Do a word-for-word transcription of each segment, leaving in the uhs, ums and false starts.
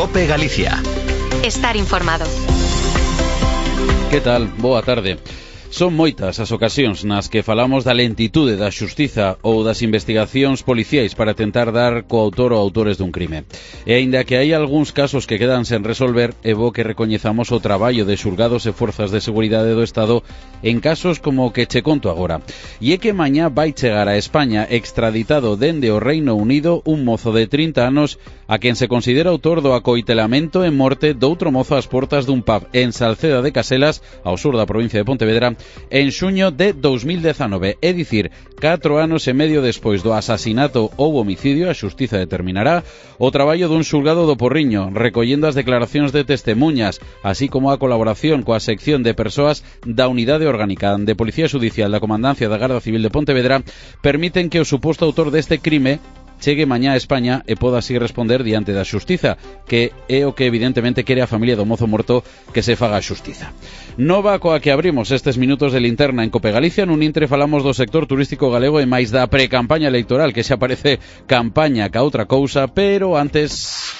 COPE Galicia. Estar informado. Que tal? Boa tarde. Son moitas as ocasións nas que falamos da lentitude da xustiza ou das investigacións policiais para tentar dar co autor ou autores dun crime. E aínda que hai algúns casos que quedan sen resolver, é bo que recoñezamos o traballo de xulgados e forzas de seguridade do Estado en casos como o que che conto agora. E é que mañá vai chegar a España extraditado dende o Reino Unido un mozo de trinta anos a quen se considera autor do acoitelamento e morte doutro mozo ás portas dun pub en Salceda de Caselas, ao sur da provincia de Pontevedra, en xuño de dos mil dezanove, é dicir, catro anos e medio despois do asasinato ou homicidio. A xustiza determinará o traballo dun xulgado do Porriño, recollendo as declaracións de testemuñas, así como a colaboración coa sección de persoas da Unidade Orgánica de Policía Xudicial da Comandancia da Garda Civil de Pontevedra, permiten que o suposto autor deste crime chegue mañá a España e poda así responder diante da xustiza, que é o que evidentemente quere a familia do mozo morto, que se faga a xustiza. Nova coa que abrimos estes minutos de linterna en COPE Galicia. Nun intre falamos do sector turístico galego e máis da pre-campaña electoral, que xa parece campaña ca outra cousa, pero antes...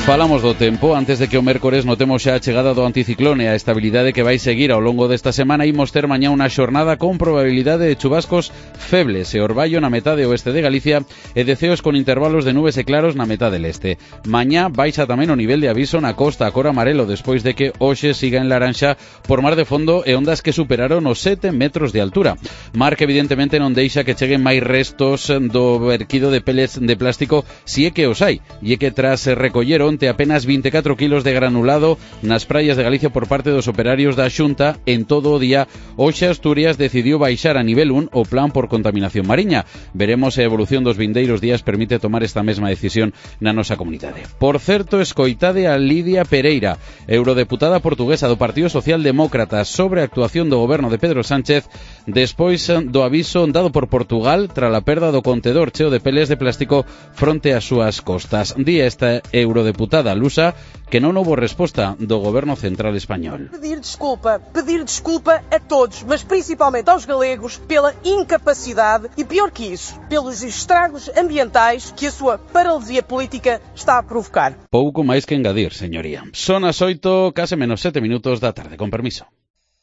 Falamos do tempo. Antes de que o mércores notemos xa a chegada do anticiclone e a estabilidade que vai seguir ao longo desta semana, imos ter mañá unha xornada con probabilidade de chubascos febles e orballo na metade oeste de Galicia e deceos con intervalos de nubes e claros na metade leste. Mañá baixa tamén o nivel de aviso na costa a cor amarelo despois de que hoxe siga en laranxa por mar de fondo e ondas que superaron os sete metros de altura. Mar que evidentemente non deixa que cheguen máis restos do verquido de pellets de plástico, si é que os hai, e é que tras recoller onte apenas vinte e catro kilos de granulado nas praias de Galicia por parte dos operarios da Xunta en todo o día, hoxe Asturias decidiu baixar a nivel un o plan por contaminación mariña. Veremos se a evolución dos vindeiros días permite tomar esta mesma decisión na nosa comunidade. Por certo, escoitade a Lidia Pereira, eurodeputada portuguesa do Partido Socialdemócrata, sobre a actuación do goberno de Pedro Sánchez despois do aviso dado por Portugal tras a perda do contedor cheo de peles de plástico fronte ás súas costas. Di esta eurodeputada lusa que non houbo resposta do goberno central español. Pedir desculpa, pedir desculpa a todos, mas principalmente aos galegos, pela incapacidade e, pior que isso, pelos estragos ambientais que a sua paralisia política está a provocar. Pouco máis que engadir, señoría. Son as oito, case menos sete minutos da tarde, con permiso.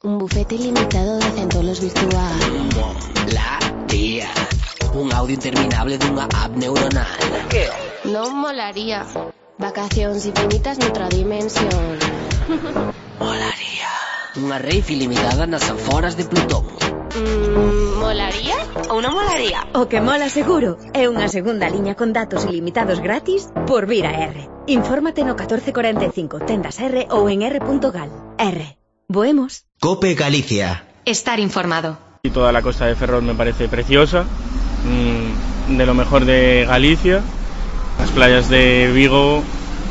Un bufete ilimitado de centolos virtual. La tía. Un audio interminable dunha app neuronal. Que? Non molaría. Vacacións infinitas noutra dimensión. Molaría. Unha rave ilimitada nas aforas de Plutón. Mm, molaría ou non molaría? O que mola seguro é unha segunda liña con datos ilimitados gratis por vir a R. Infórmate no catorce cuarenta e cinco, tendas R ou en r punto gal. R. Voemos. COPE Galicia. Estar informado. Y toda la costa de Ferrol me parece preciosa, mmm, de lo mejor de Galicia. Las playas de Vigo,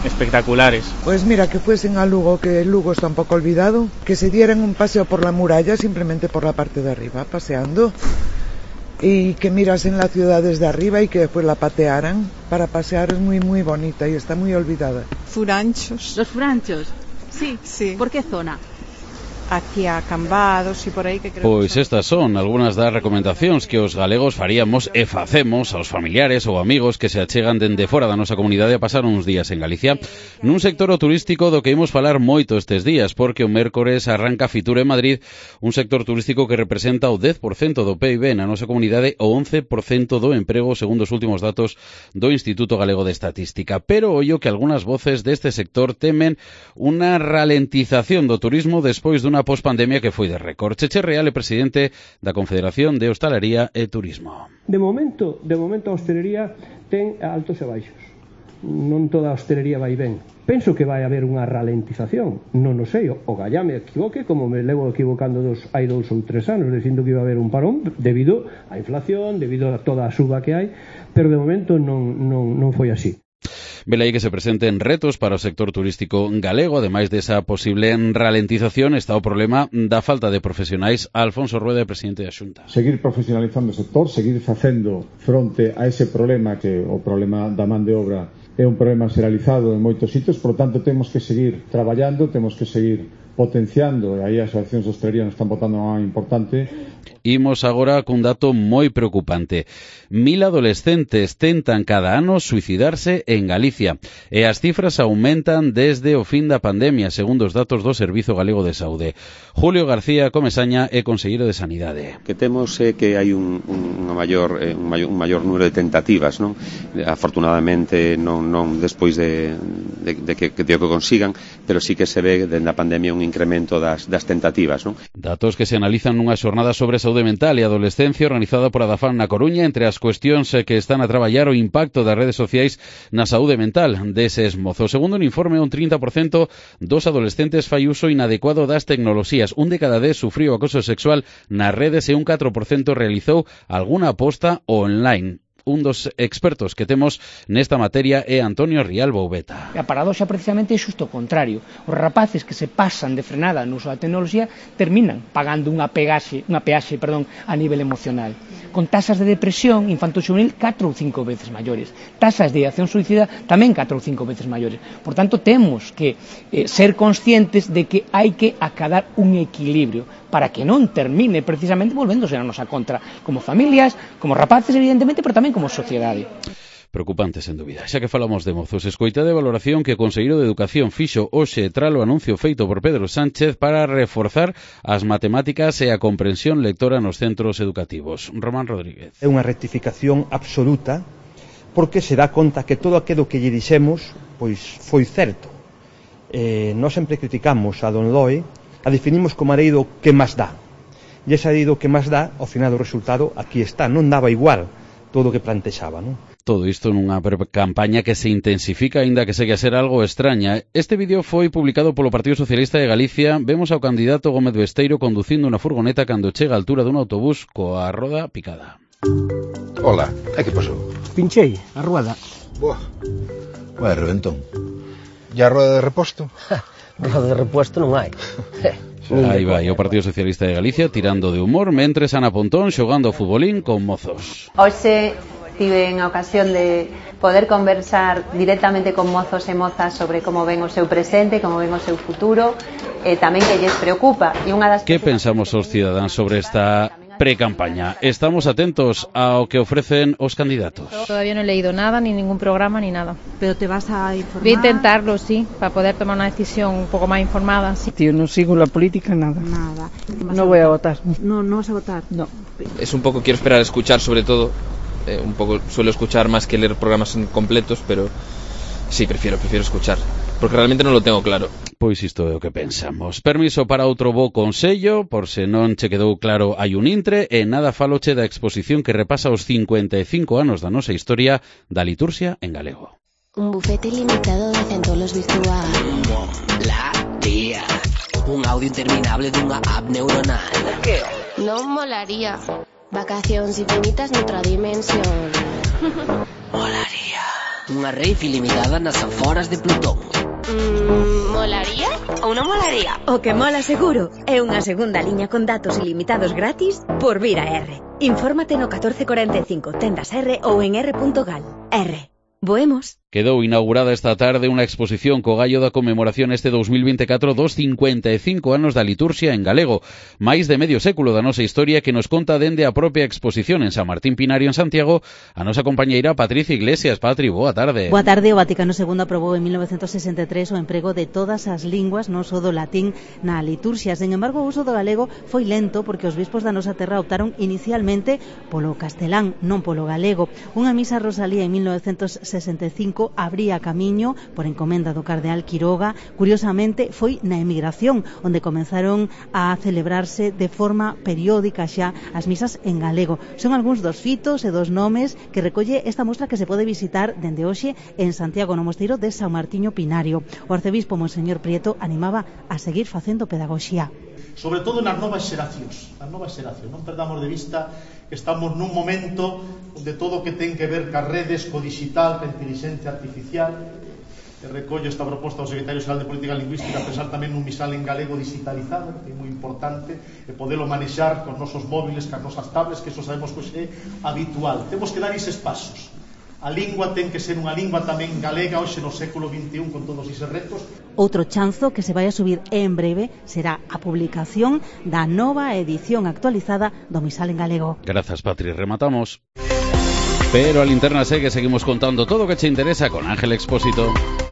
espectaculares. Pues mira, que fuesen a Lugo, que Lugo está un poco olvidado, que se dieran un paseo por la muralla, simplemente por la parte de arriba, paseando, y que mirasen la ciudad desde arriba y que después la patearan. Para pasear es muy muy bonita y está muy olvidada. Furanchos. ¿Los Furanchos? Sí. Sí. ¿Por qué zona? Hacia Cambados e por aí que creo. Pois estas son algunhas das recomendacións que os galegos faríamos e facemos aos familiares ou amigos que se achegan dende fora da nosa comunidade a pasar uns días en Galicia, nun sector turístico do que imos falar moito estes días, porque o mércores arranca Fitur en Madrid, un sector turístico que representa o dez por cento do P I B na nosa comunidade, o once por cento do emprego segundo os últimos datos do Instituto Galego de Estatística. Pero ollo que algunhas voces deste sector temen unha ralentización do turismo despois dunha pospandemia que foi de récord. Cheche Real é presidente da Confederación de Hostalaría e Turismo. De momento, de momento a hostelería ten altos e baixos. Non toda a hostelería vai ben. Penso que vai haber unha ralentización. Non o sei, o gallá me equivoque, como me levo equivocando dos, hai dous ou tres anos, dicindo que iba a haber un parón debido á inflación, debido a toda a suba que hai, pero de momento non, non, non foi así. Vela aí que se presenten retos para o sector turístico galego. Ademais desa posible ralentización está o problema da falta de profesionais. Alfonso Rueda, presidente da Xunta. Seguir profesionalizando o sector, seguir facendo fronte a ese problema, que o problema da man de obra é un problema xeralizado en moitos sitios, por lo tanto temos que seguir traballando, temos que seguir potenciando, e aí as asociacións de hostelería nos están botando unha importante. Imos agora cun dato moi preocupante. Mil adolescentes tentan cada ano suicidarse en Galicia e as cifras aumentan desde o fin da pandemia, segundo os datos do Servizo Galego de Saúde. Julio García Comesaña é conselleiro de Sanidade. Que temos é que hai un, un, maior, un, maior, un maior número de tentativas, non? Afortunadamente non, non despois de, de, de que, que, que consigan, pero sí que se ve dende a pandemia un incremento das, das tentativas, non? Datos que se analizan nunha xornada sobre saúde mental e adolescencia organizada por Adafan na Coruña, entre as cuestións que están a traballar o impacto das redes sociais na saúde mental deses mozos. Segundo un informe, un trinta por cento dos adolescentes fai uso inadecuado das tecnoloxías. Un de cada dez sufriu acoso sexual nas redes e un catro por cento realizou algunha aposta online. Un dos expertos que temos nesta materia é Antonio Rial Boubeta. A paradoxa precisamente é xusto o contrario. Os rapaces que se pasan de frenada no uso da tecnoloxía terminan pagando unha peaxe, unha peaxe, perdón, a nivel emocional. Con tasas de depresión infanto-xuvenil catro ou cinco veces maiores. Tasas de ideación suicida tamén catro ou cinco veces maiores. Por tanto, temos que eh, ser conscientes de que hai que acadar un equilibrio para que non termine precisamente volvéndose a nosa contra, como familias, como rapaces, evidentemente, pero tamén como sociedade. Preocupante, sen dúbida. Xa que falamos de mozos, escoitade a valoración que o Conselleiro de Educación fixo hoxe tras o anuncio feito por Pedro Sánchez para reforzar as matemáticas e a comprensión lectora nos centros educativos. Román Rodríguez. É unha rectificación absoluta porque se dá conta que todo aquilo que lle dixemos pois foi certo. Eh, nós sempre criticamos a Don Loe, a definimos como a lei do que máis dá. E esa lei do que máis dá, ao final do resultado, aquí está. Non daba igual todo o que plantexaba, non? Todo isto nunha campaña que se intensifica, aínda que segue a ser algo extraña. Este vídeo foi publicado polo Partido Socialista de Galicia. Vemos ao candidato Gómez Besteiro conducindo unha furgoneta cando chega a altura dun autobús coa roda picada. Ola, é que pasou? Pinchei a rueda. Boa, vai reventón. E a rueda de reposto? Roda de repuesto non hai. Aí vai o Partido Socialista de Galicia tirando de humor mentres Ana Pontón xogando ao futbolín con mozos. Hoxe tive a ocasión de poder conversar directamente con mozos e mozas sobre como ven o seu presente, como ven o seu futuro, e tamén que lles preocupa. E unha das que pensamos os cidadáns sobre esta pre-campaña? Estamos atentos ao que ofrecen os candidatos. Todavía no he leído nada, ni ningún programa, ni nada. ¿Pero te vas a informar? Voy a intentarlo, sí, para poder tomar una decisión un poco más informada. Sí. Tío, no sigo la política, nada. Nada. No voy a votar. No, no vas a votar. No. Es un poco, quiero esperar a escuchar sobre todo, eh, un poco suelo escuchar más que leer programas completos, pero sí, prefiero, prefiero escuchar, porque realmente non lo tengo claro. Pois isto é o que pensamos. Permiso para outro bo consello, por se non che quedou claro hai un intre, e nada faloche da exposición que repasa os cincuenta e cinco anos da nosa historia da liturxia en galego. Un bufete ilimitado de centolos virtual. Molaría. Un audio interminable dunha app neuronal. Non molaría. Vacacións infinitas noutra dimensión. Molaría. Unha rave ilimitada nas aforas de Plutón. Mm, molaría ou non molaría? O que mola seguro é unha segunda liña con datos ilimitados gratis por Vira R. Infórmate no catorce cuarenta e cinco, tendas R ou en r punto gal. R. Voemos. Quedou inaugurada esta tarde unha exposición co gallo da conmemoración este dos mil vinte e catro dos cincuenta e cinco anos da liturxia en galego, máis de medio século da nosa historia que nos conta dende a propia exposición en San Martín Pinario en Santiago a nosa compañeira Patricia Iglesias. Patri, boa tarde. Boa tarde. O Vaticano segundo aprobou en mil novecentos sesenta e tres o emprego de todas as linguas, non só do latín, na liturxia. Sen embargo, o uso do galego foi lento porque os bispos da nosa terra optaron inicialmente polo castelán, non polo galego. Unha misa rosalía en mil novecentos sesenta e cinco abría camiño por encomenda do cardeal Quiroga. Curiosamente foi na emigración onde comenzaron a celebrarse de forma periódica xa as misas en galego. Son algúns dos fitos e dos nomes que recolle esta mostra que se pode visitar dende hoxe en Santiago, no mosteiro de San Martiño Pinario. O arcebispo Monseñor Prieto animaba a seguir facendo pedagogía. Sobre todo nas novas xeracións, nas novas xeracións, non perdamos de vista que estamos nun momento onde todo o que ten que ver cas redes, co digital, ca inteligencia artificial, e recollo esta proposta do Secretario Xeral de Política Lingüística a pensar tamén nun misal en galego digitalizado, que é moi importante, e podelo manexar con nosos móviles, cas nosas tablets, que eso sabemos que é habitual. Temos que dar eses pasos. A lingua ten que ser unha lingua tamén galega hoxe no século vinte e un con todos eses retos. Outro chanzo que se vai a subir en breve será a publicación da nova edición actualizada do Misal en galego. Grazas, Patri, rematamos. Pero a linterna segue, seguimos contando todo o que che interesa con Ángel Expósito.